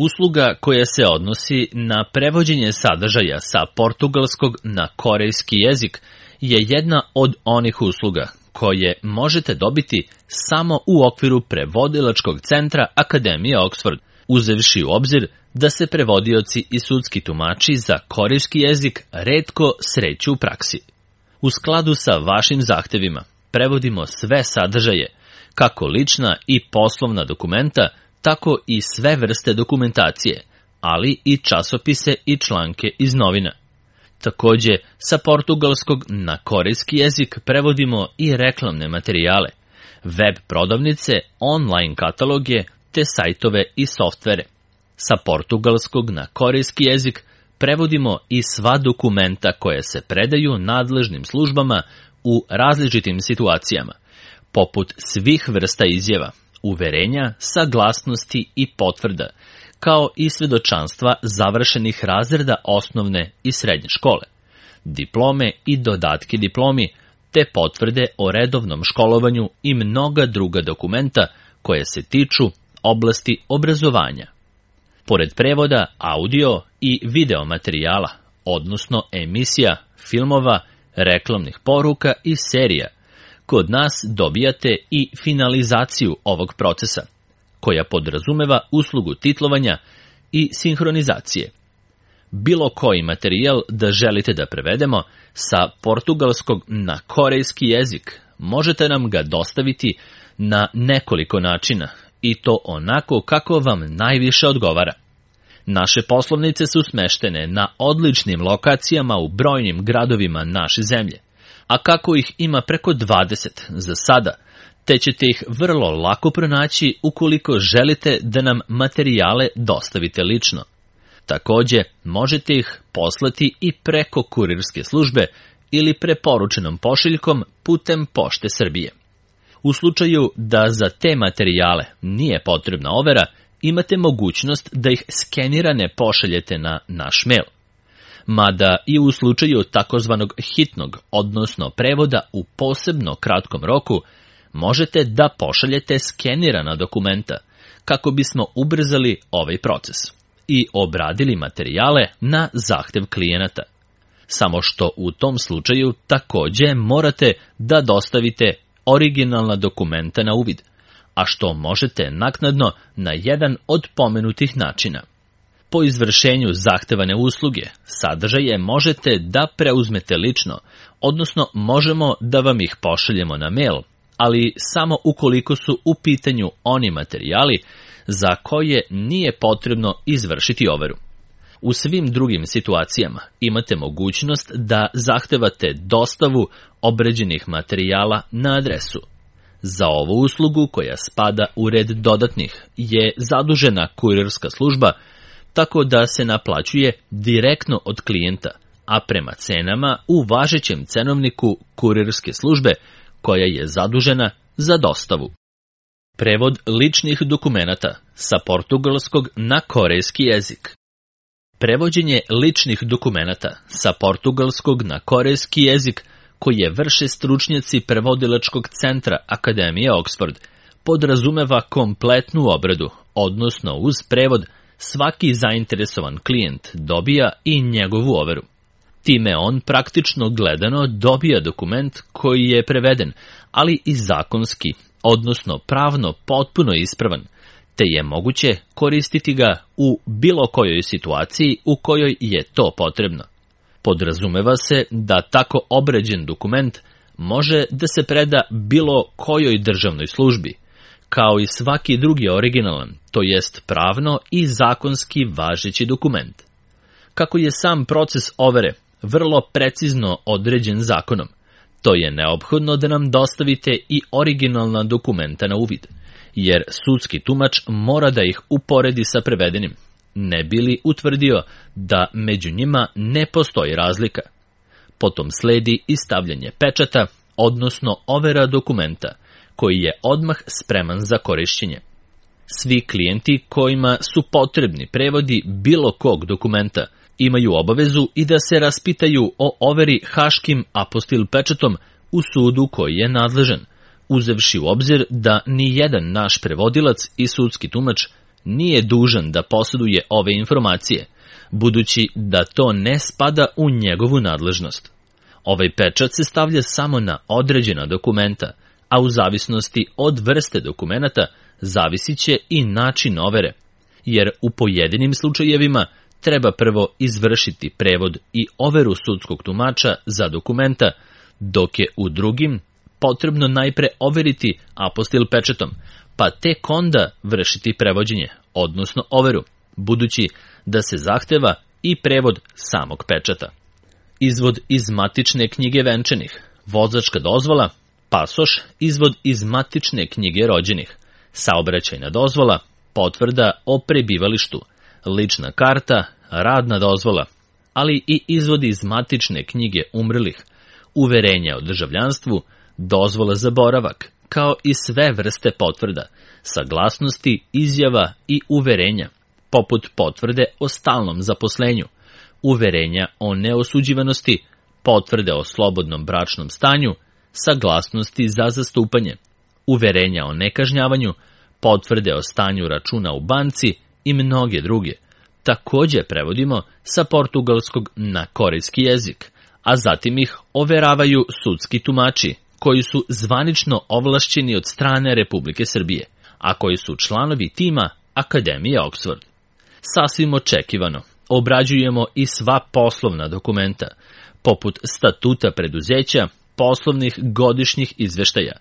Usluga koja se odnosi na prevođenje sadržaja sa portugalskog na korejski jezik je jedna od onih usluga koje možete dobiti samo u okviru prevodilačkog centra Akademije Oxford, uzevši u obzir da se prevodioci i sudski tumači za korejski jezik retko sreću u praksi. U skladu sa vašim zahtevima prevodimo sve sadržaje, kako lična i poslovna dokumenta, tako i sve vrste dokumentacije, ali i časopise i članke iz novina. Takođe, sa portugalskog na korejski jezik prevodimo i reklamne materijale, web prodavnice, online kataloge te sajtove i softvere. Sa portugalskog na korejski jezik prevodimo i sva dokumenta koje se predaju nadležnim službama u različitim situacijama, poput svih vrsta izjava, uverenja, saglasnosti i potvrda, kao i svedočanstva završenih razreda osnovne i srednje škole, diplome i dodatke diplomi, te potvrde o redovnom školovanju i mnoga druga dokumenta koje se tiču oblasti obrazovanja. Pored prevoda audio i video materijala, odnosno emisija, filmova, reklamnih poruka i serija, kod nas dobijate i finalizaciju ovog procesa, koja podrazumeva uslugu titlovanja i sinhronizacije. Bilo koji materijal da želite da prevedemo sa portugalskog na korejski jezik, možete nam ga dostaviti na nekoliko načina, i to onako kako vam najviše odgovara. Naše poslovnice su smeštene na odličnim lokacijama u brojnim gradovima naše zemlje, a kako ih ima preko 20 za sada, te ćete ih vrlo lako pronaći ukoliko želite da nam materijale dostavite lično. Takođe, možete ih poslati i preko kurirske službe ili preporučenom pošiljkom putem Pošte Srbije. U slučaju da za te materijale nije potrebna overa, imate mogućnost da ih skenirane pošaljete na naš mail. Mada i u slučaju takozvanog hitnog, odnosno prevoda u posebno kratkom roku, možete da pošaljete skenirana dokumenta kako bismo ubrzali ovaj proces i obradili materijale na zahtev klijenata. Samo što u tom slučaju takođe morate da dostavite originalna dokumenta na uvid, a što možete naknadno na jedan od pomenutih načina. Po izvršenju zahtevane usluge, sadržaje možete da preuzmete lično, odnosno možemo da vam ih pošaljemo na mail, ali samo ukoliko su u pitanju oni materijali za koje nije potrebno izvršiti overu. U svim drugim situacijama imate mogućnost da zahtevate dostavu obrađenih materijala na adresu. Za ovu uslugu, koja spada u red dodatnih, je zadužena kurirska služba, tako da se naplaćuje direktno od klijenta, a prema cenama u važećem cenovniku kurirske službe, koja je zadužena za dostavu. Prevod ličnih dokumenata sa portugalskog na korejski jezik. Prevođenje ličnih dokumenata sa portugalskog na korejski jezik koje vrše stručnjaci prevodilačkog centra Akademije Oxford podrazumeva kompletnu obradu, odnosno uz prevod svaki zainteresovan klijent dobija i njegovu overu. Time on praktično gledano dobija dokument koji je preveden, ali i zakonski, odnosno pravno potpuno ispravan, te je moguće koristiti ga u bilo kojoj situaciji u kojoj je to potrebno. Podrazumeva se da tako obrađen dokument može da se preda bilo kojoj državnoj službi, kao i svaki drugi originalan, to jest pravno i zakonski važeći dokument. Kako je sam proces overe vrlo precizno određen zakonom, to je neophodno da nam dostavite i originalna dokumenta na uvid, jer sudski tumač mora da ih uporedi sa prevedenim, ne bi li utvrdio da među njima ne postoji razlika. Potom sledi i stavljanje pečata, odnosno overa dokumenta, koji je odmah spreman za korišćenje. Svi klijenti kojima su potrebni prevodi bilo kog dokumenta imaju obavezu i da se raspitaju o overi haškim apostil pečatom u sudu koji je nadležan, uzevši u obzir da ni jedan naš prevodilac i sudski tumač nije dužan da posjeduje ove informacije, budući da to ne spada u njegovu nadležnost. Ovaj pečat se stavlja samo na određena dokumenta, a u zavisnosti od vrste dokumenata zavisit će i način overe, jer u pojedinim slučajevima treba prvo izvršiti prevod i overu sudskog tumača za dokumenta, dok je u drugim potrebno najpre overiti apostil pečatom, pa tek onda vršiti prevođenje, odnosno overu, budući da se zahteva i prevod samog pečata. Izvod iz matične knjige venčanih, vozačka dozvola, pasoš, izvod iz matične knjige rođenih, saobraćajna dozvola, potvrda o prebivalištu, lična karta, radna dozvola, ali i izvodi iz matične knjige umrlih, uverenja o državljanstvu, dozvola za boravak, kao i sve vrste potvrda, saglasnosti, izjava i uverenja, poput potvrde o stalnom zaposlenju, uverenja o neosuđivanosti, potvrde o slobodnom bračnom stanju, saglasnosti za zastupanje, uverenja o nekažnjavanju, potvrde o stanju računa u banci i mnoge druge. Također prevodimo sa portugalskog na korejski jezik, a zatim ih overavaju sudski tumači, koji su zvanično ovlašćeni od strane Republike Srbije, a koji su članovi tima Akademije Oxford. Sasvim očekivano, obrađujemo i sva poslovna dokumenta, poput statuta preduzeća, poslovnih godišnjih izveštaja,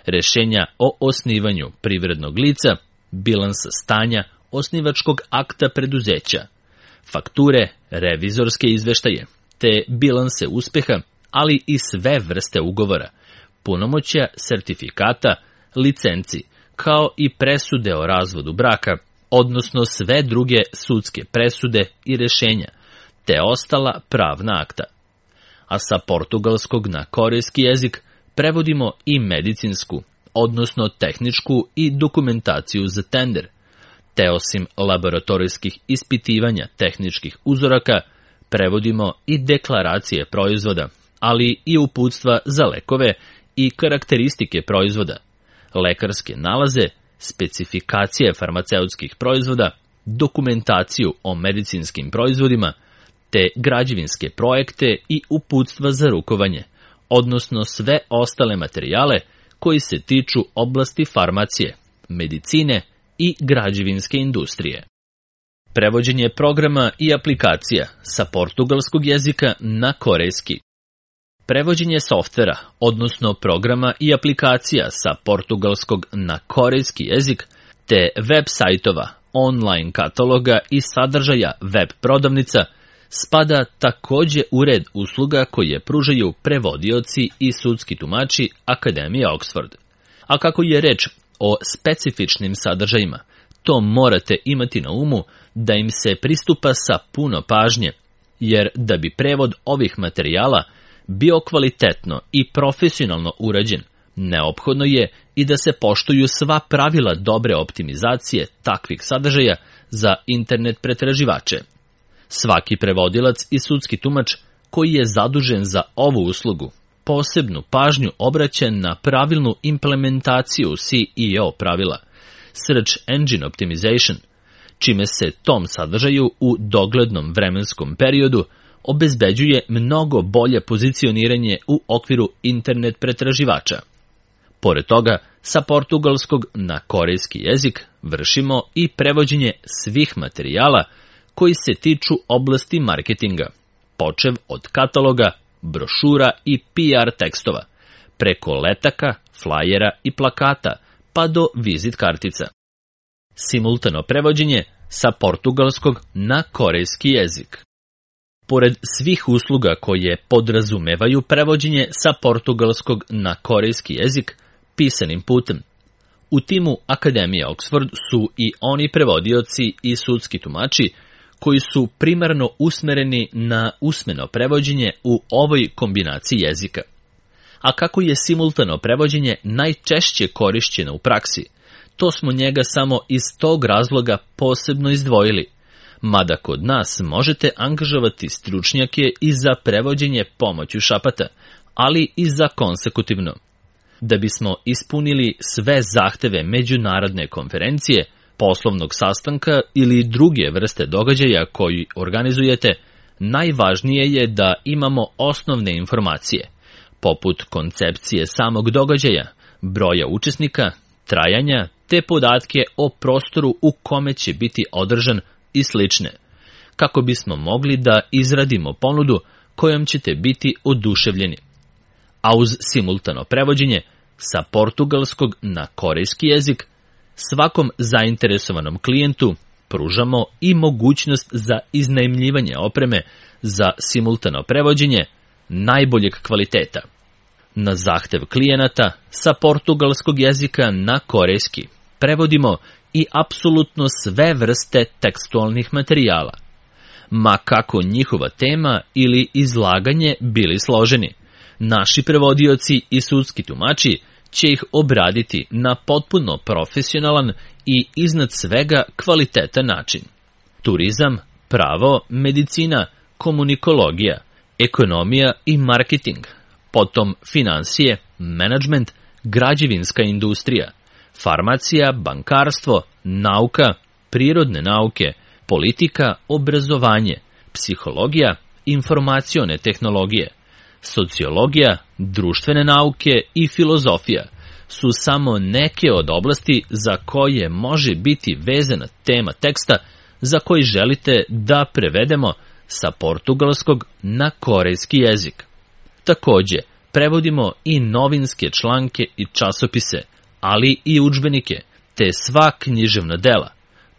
rešenja o osnivanju privrednog lica, bilansa stanja, osnivačkog akta preduzeća, fakture, revizorske izveštaje, te bilanse uspeha, ali i sve vrste ugovora, punomoćja, sertifikata, licenci, kao i presude o razvodu braka, odnosno sve druge sudske presude i rešenja, te ostala pravna akta. A sa portugalskog na korejski jezik prevodimo i medicinsku, odnosno tehničku i dokumentaciju za tender, te osim laboratorijskih ispitivanja tehničkih uzoraka, prevodimo i deklaracije proizvoda, ali i uputstva za lekove i karakteristike proizvoda, lekarske nalaze, specifikacije farmaceutskih proizvoda, dokumentaciju o medicinskim proizvodima, te građevinske projekte i uputstva za rukovanje, odnosno sve ostale materijale koji se tiču oblasti farmacije, medicine i građevinske industrije. Prevođenje programa i aplikacija sa portugalskog jezika na korejski. Prevođenje softvera, odnosno programa i aplikacija sa portugalskog na korejski jezik, te web sajtova, online kataloga i sadržaja web prodavnica, spada također u red usluga koje pružaju prevodioci i sudski tumači Akademije Oxford. A kako je reč o specifičnim sadržajima, to morate imati na umu da im se pristupa sa puno pažnje, jer da bi prevod ovih materijala bio kvalitetno i profesionalno urađen, neophodno je i da se poštuju sva pravila dobre optimizacije takvih sadržaja za internet pretraživače. Svaki prevodilac i sudski tumač koji je zadužen za ovu uslugu posebnu pažnju obraća na pravilnu implementaciju SEO pravila, Search Engine Optimization, čime se tom sadržaju u doglednom vremenskom periodu obezbeđuje mnogo bolje pozicioniranje u okviru internet pretraživača. Pored toga, sa portugalskog na korejski jezik vršimo i prevođenje svih materijala koji se tiču oblasti marketinga, počev od kataloga, brošura i PR tekstova, preko letaka, flajera i plakata, pa do vizit kartica. Simultano prevođenje sa portugalskog na korejski jezik. Pored svih usluga koje podrazumevaju prevođenje sa portugalskog na korejski jezik pisanim putem, u timu Akademije Oxford su i oni prevodioci i sudski tumači koji su primarno usmereni na usmeno prevođenje u ovoj kombinaciji jezika. A kako je simultano prevođenje najčešće korišćeno u praksi, to smo njega samo iz tog razloga posebno izdvojili, mada kod nas možete angažovati stručnjake i za prevođenje pomoću šapata, ali i za konsekutivno. Da bismo ispunili sve zahteve međunarodne konferencije, poslovnog sastanka ili druge vrste događaja koji organizujete, najvažnije je da imamo osnovne informacije, poput koncepcije samog događaja, broja učesnika, trajanja, te podatke o prostoru u kome će biti održan i slične, kako bismo mogli da izradimo ponudu kojom ćete biti oduševljeni. A uz simultano prevođenje sa portugalskog na korejski jezik, svakom zainteresovanom klijentu pružamo i mogućnost za iznajmljivanje opreme za simultano prevođenje najboljeg kvaliteta. Na zahtev klijenata sa portugalskog jezika na korejski prevodimo i apsolutno sve vrste tekstualnih materijala, ma kako njihova tema ili izlaganje bili složeni. Naši prevodioci i sudski tumači će ih obraditi na potpuno profesionalan i iznad svega kvalitetan način. Turizam, pravo, medicina, komunikologija, ekonomija i marketing, potom finansije, menadžment, građevinska industrija, farmacija, bankarstvo, nauka, prirodne nauke, politika, obrazovanje, psihologija, informacione tehnologije, sociologija, društvene nauke i filozofija su samo neke od oblasti za koje može biti vezana tema teksta za koji želite da prevedemo sa portugalskog na korejski jezik. Takođe, prevodimo i novinske članke i časopise, ali i udžbenike, te sva književna dela,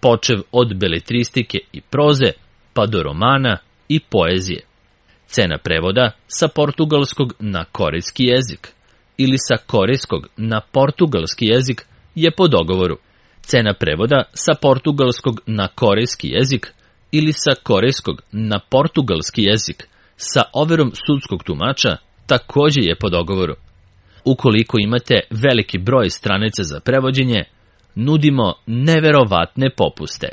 počev od beletristike i proze, pa do romana i poezije. Cena prevoda sa portugalskog na korejski jezik ili sa korejskog na portugalski jezik je po dogovoru. Cena prevoda sa portugalskog na korejski jezik ili sa korejskog na portugalski jezik sa overom sudskog tumača takođe je po dogovoru. Ukoliko imate veliki broj stranica za prevođenje, nudimo neverovatne popuste.